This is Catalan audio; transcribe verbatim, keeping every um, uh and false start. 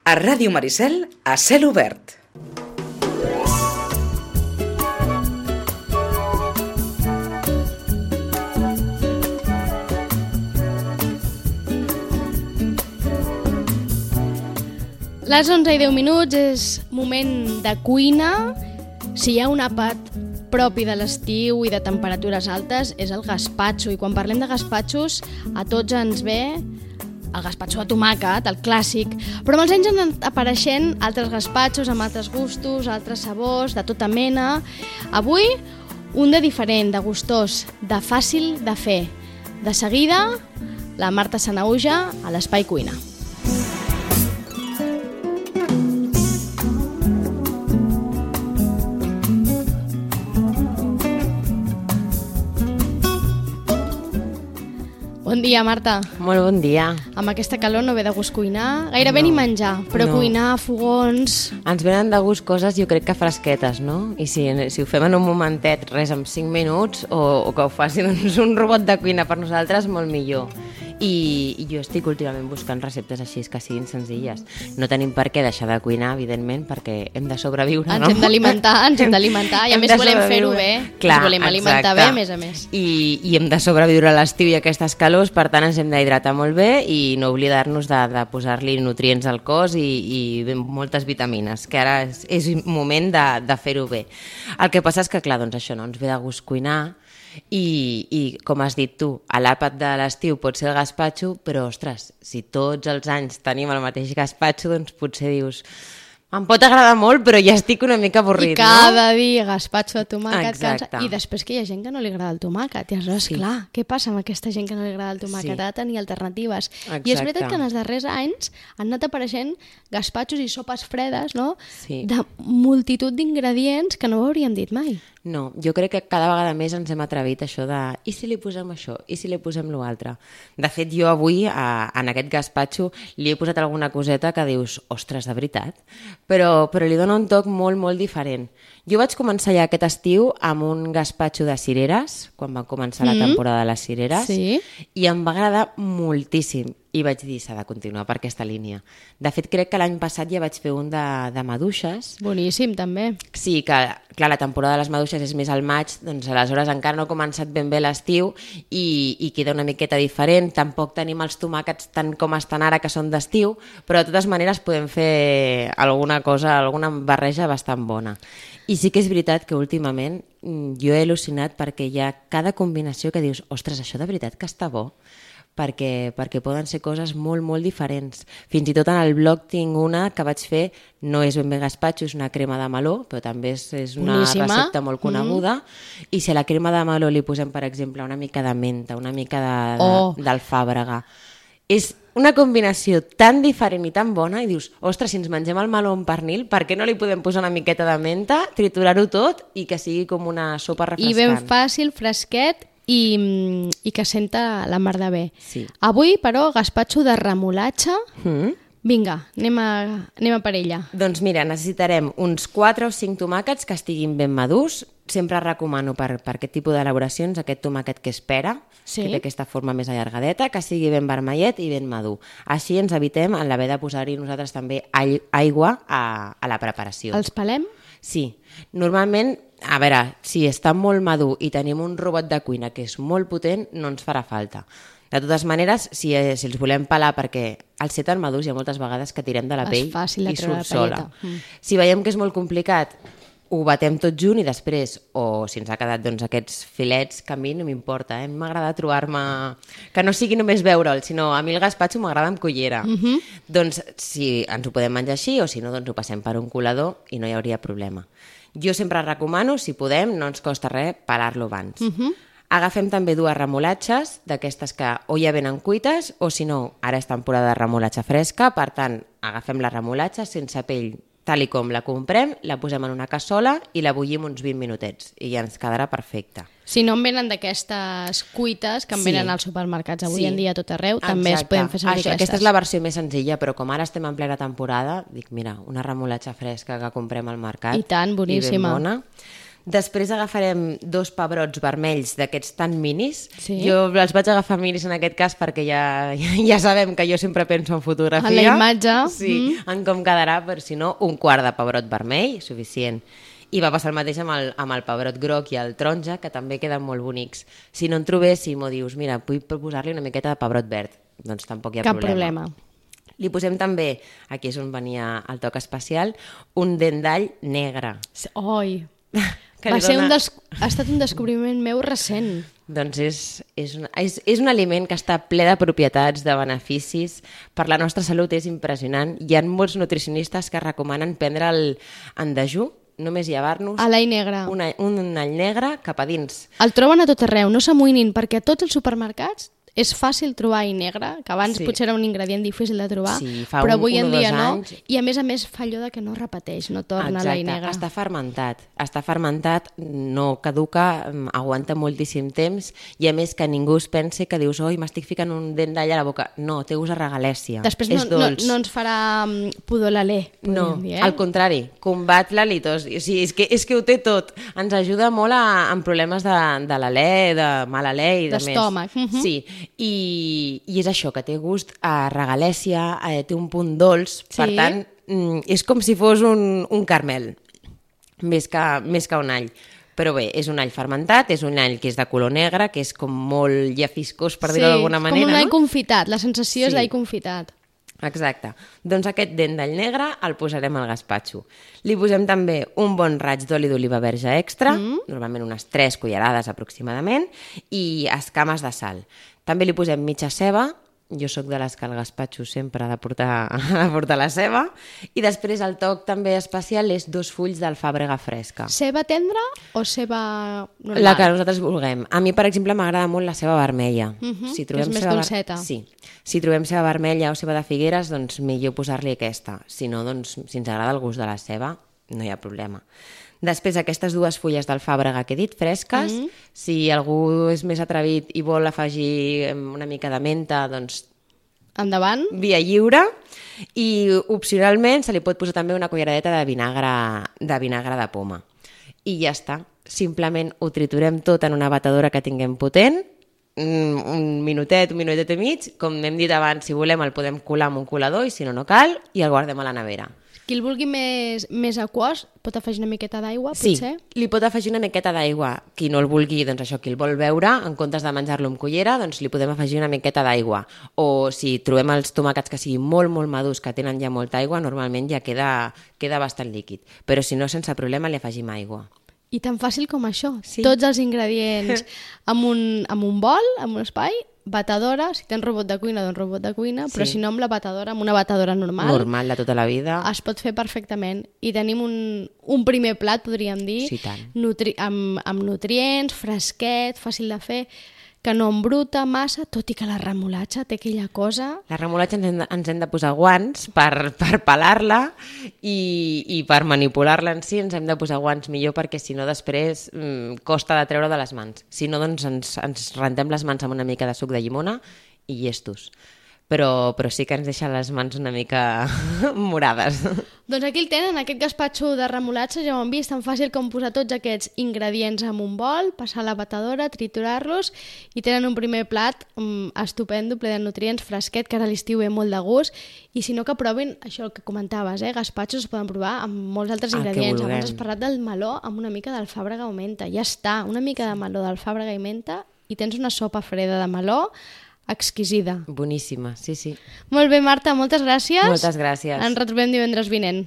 A Ràdio Maricel, a cel obert. Les onze i deu minuts és moment de cuina. Si hi ha un àpat propi de l'estiu i de temperatures altes és el gaspatxo, i quan parlem de gaspatxos a tots ens ve el gaspatxo de tomàquet, el clàssic, però amb els anys han anat apareixent altres gaspatxos amb altres gustos, altres sabors, de tota mena. Avui un de diferent, de gustós, de fàcil de fer. De seguida, la Marta Sanaüja a l'Espai Cuina. Bon dia, Marta. Molt bon dia. Amb aquesta calor no ve de gust cuinar, gairebé no, ni menjar, però no. Cuinar, fogons... Ens venen de gust coses, jo crec que fresquetes, no? I si, si ho fem en un momentet, res, en cinc minuts, o, o que ho faci doncs, un robot de cuina per nosaltres, molt millor. I, i jo estic últimament buscant receptes així que siguin senzilles. No tenim per què deixar de cuinar, evidentment, perquè hem de sobreviure, ens no? Ens hem d'alimentar, ens hem d'alimentar, i a més volem fer-ho bé, clar, ens volem alimentar exacte. Bé, a més a més. I, I hem de sobreviure a l'estiu i a aquestes calors, per tant ens hem d'hidratar molt bé i no oblidar-nos de, de posar-li nutrients al cos i, i moltes vitamines, que ara és, és moment de, de fer-ho bé. El que passa és que, clar, doncs això no ens ve de gust cuinar, I, i com has dit tu, a l'àpat de l'estiu pot ser el gaspatxo, però ostres, si tots els anys tenim el mateix gaspatxo, doncs potser dius, em pot agradar molt, però ja estic una mica avorrit, I cada no? dia gaspatxo de tomàquet, Exacte. cansa. I després que hi ha gent que no li agrada el tomàquet, i aleshores, sí. clar, què passa amb aquesta gent que no li agrada el tomàquet? Sí. Ha de tenir alternatives. Exacte. I és veritat que en els darrers anys han anat apareixent gaspatxos i sopes fredes, no? Sí. De multitud d'ingredients que no ho hauríem dit mai. No, jo crec que cada vegada més ens hem atrevit això de i si li posem això, i si li posem l'altre. De fet, jo avui a, en aquest gaspatxo li he posat alguna coseta que dius, ostres, de veritat? Però, però li dona un toc molt, molt diferent. Jo vaig començar ja aquest estiu amb un gaspatxo de cireres, quan va començar mm. la temporada de les cireres, sí. I em va agradar moltíssim. I vaig dir, s'ha de continuar per aquesta línia. De fet, crec que l'any passat ja vaig fer un de, de maduixes. Boníssim, també. Sí, que clar, la temporada de les maduixes és més al maig, doncs aleshores encara no ha començat ben bé l'estiu i, i queda una miqueta diferent. Tampoc tenim els tomàquets tant com estan ara, que són d'estiu, però de totes maneres podem fer alguna cosa, alguna barreja bastant bona. I sí que és veritat que últimament jo he al·lucinat perquè hi ha cada combinació que dius, ostres, això de veritat que està bo? Perquè, perquè poden ser coses molt, molt diferents. Fins i tot en el blog tinc una que vaig fer, no és ben bé gaspatxo, és una crema de meló, però també és, és una Boníssima. Recepta molt coneguda, mm. i si a la crema de meló li posem, per exemple, una mica de menta, una mica oh. d'alfàbrega, és una combinació tan diferent i tan bona, i dius, ostres, si ens mengem el meló amb pernil, per què no li podem posar una miqueta de menta, triturar-ho tot i que sigui com una sopa refrescant? I ben fàcil, fresquet, I, i que senta la mar de bé. Sí. Avui, però, gaspatxo de remolatxa. Mm. Vinga, anem a, anem a per ella. Doncs mira, necessitarem uns quatre o cinc tomàquets que estiguin ben madurs. Sempre recomano per, per aquest tipus d'elaboracions aquest tomàquet que espera, sí. que té aquesta forma més allargadeta, que sigui ben vermellet i ben madur. Així ens evitem en l'haver de posar-hi nosaltres també aigua a, a la preparació. Els pelem? Sí. Normalment, a veure, si està molt madur i tenim un robot de cuina que és molt potent, no ens farà falta. De totes maneres, si, si els volem pelar, perquè al ser tan madurs hi ha moltes vegades que tirem de la pell i surt sola. Mm. Si veiem que és molt complicat, ho batem tot junt i després, o si ens ha quedat doncs, aquests filets, que a mi no m'importa, eh? M'agrada trobar-me... que no sigui només veure'l, sinó a mi el gaspatxo m'agrada amb cullera. Mm-hmm. Doncs si ens ho podem menjar així, o si no, doncs ho passem per un colador i no hi hauria problema. Jo sempre recomano, si podem, no ens costa res, pelar-lo abans. Mm-hmm. Agafem també dues remolatxes, d'aquestes que o ja venen cuites, o si no, ara és temporada de remolatxa fresca, per tant, agafem la remolatxa sense pell, tal i com la comprem, la posem en una cassola i la bullim uns vint minutets, i ja ens quedarà perfecta. Si no en venen d'aquestes cuites que en Sí. venen als supermercats avui Sí. en dia a tot arreu, també es Exacte. poden fer servir Això, aquestes. Aquesta és la versió més senzilla, però com ara estem en plena temporada, dic, mira, una remolatxa fresca que comprem al mercat. I tant, boníssima. I ben bona. Després agafarem dos pebrots vermells d'aquests tan minis. Sí. Jo els vaig agafar minis en aquest cas perquè ja, ja, ja sabem que jo sempre penso en fotografia. En la imatge. Sí, mm. en com quedarà, però si no, un quart de pebrot vermell, suficient. I va passar el mateix amb el, amb el pebrot groc i el taronja, que també queden molt bonics. Si no en trobéssim o dius, mira, vull proposar-li una miqueta de pebrot verd, doncs tampoc hi ha Cap problema. problema. Li posem també, aquí és on venia el toc especial, un dent d'all negre. Oi, Que va li ser un dona- des... ha estat un descobriment meu recent. Doncs és, és, un, és, és un aliment que està ple de propietats, de beneficis. Per la nostra salut és impressionant. Hi ha molts nutricionistes que recomanen prendre'l en dejú, només llevar-nos A l'all negre. un, all- un all negre cap a dins. El troben a tot arreu, no s'amoïnin, perquè a tots els supermercats és fàcil trobar all negre, que abans Sí. potser era un ingredient difícil de trobar, Sí, fa però un- avui un en o dia dos no. anys. I a més a més fa allò de que no repeteix, no torna l'all negre. Està fermentat. Està fermentat, no caduca, mm, aguanta moltíssim temps i a més que ningú es pensi que dius oi, m'estic ficant un dent d'all a la boca. No, té gust a regalèssia. Després no, és no, dolç. no ens farà um, pudor l'alè, No, podríem dir, eh? al contrari, combat la litosi. O sigui, és, que, és que ho té tot. Ens ajuda molt a, en problemes de, de l'alè, de mal alè i de més. D'estómac, mhm. Sí, i, i és això, que té gust a regalèssia, eh, té un punt dolç, Sí. per tant, mm, és com si fos un, un carmel, més que, més que un all. Però bé, és un all fermentat, és un all que és de color negre, que és com molt llafiscós, per dir-ho d'alguna manera, com un all no? confitat, la sensació és Sí. d'all confitat. Exacte. Doncs aquest dent d'all negre el posarem al gaspatxo. Li posem també un bon raig d'oli d'oliva verge extra, mm. normalment unes tres cullerades aproximadament, i escames de sal. També li posem mitja ceba, jo sóc de les que al gaspatxo sempre ha de portar, ha de portar la ceba, i després el toc també especial és dos fulls d'alfàbrega fresca. Ceba tendra o ceba normal? La que nosaltres vulguem. A mi, per exemple, m'agrada molt la ceba vermella. Mhm, si que és més ceba ver- dolceta. Sí. Si trobem ceba vermella o ceba de figueres, doncs millor posar-li aquesta. Si no, doncs, si ens agrada el gust de la ceba, no hi ha problema. Després, aquestes dues fulles d'alfàbrega que he dit, fresques, Mhm. si algú és més atrevit i vol afegir em, una mica de menta, doncs Endavant. via lliure, i opcionalment se li pot posar també una culleradeta de vinagre de, vinagre de poma. I ja està. Simplement ho triturem tot en una batedora que tinguem potent, un un minutet, un minutet i mig, com hem dit abans, si volem el podem colar amb un colador i si no, no cal, i el guardem a la nevera. Qui el vulgui més, més aquós pot afegir una miqueta d'aigua, Sí, potser? li pot afegir una miqueta d'aigua. Qui no el vulgui, doncs això, qui el vol beure, en comptes de menjar-lo amb cullera, doncs li podem afegir una miqueta d'aigua. O si trobem els tomàquets que siguin molt, molt madurs, que tenen ja molta aigua, normalment ja queda, queda bastant líquid. Però si no, sense problema, li afegim aigua. I tan fàcil com això. Sí. Tots els ingredients amb un, amb un bol, amb un espai, batedora, si tens robot de cuina, doncs robot de cuina, però Sí. si no amb la batedora, amb una batedora normal, Normal de tota la vida. es pot fer perfectament. I tenim un, un primer plat, podríem dir, Sí, tant. nutri amb, amb nutrients, fresquet, fàcil de fer, que no embruta massa, tot i que la remolatxa té aquella cosa... La remolatxa ens hem de, ens hem de posar guants per, per pelar-la i, i per manipular-la en si ens hem de posar guants millor perquè si no després mm, costa de treure de les mans. Si no, doncs ens, ens rentem les mans amb una mica de suc de llimona i llestos. Però, però sí que ens deixa les mans una mica morades. Doncs aquí el tenen, aquest gaspatxo de remolatxa, ja ho hem vist, tan fàcil com posar tots aquests ingredients en un bol, passar a la batedora, triturar-los, i tenen un primer plat um, estupendo, ple de nutrients, fresquet, que ara a l'estiu ve molt de gust, i si no que provin això el que comentaves, eh? Gaspatxos es poden provar amb molts altres El que ingredients. vulguem. Abans has parlat del meló amb una mica d'alfàbrega o menta, ja està, una mica de meló d'alfàbrega i menta, i tens una sopa freda de meló exquisida. Boníssima, sí, sí. Molt bé, Marta, moltes gràcies. Moltes gràcies. Ens retrobem divendres vinent.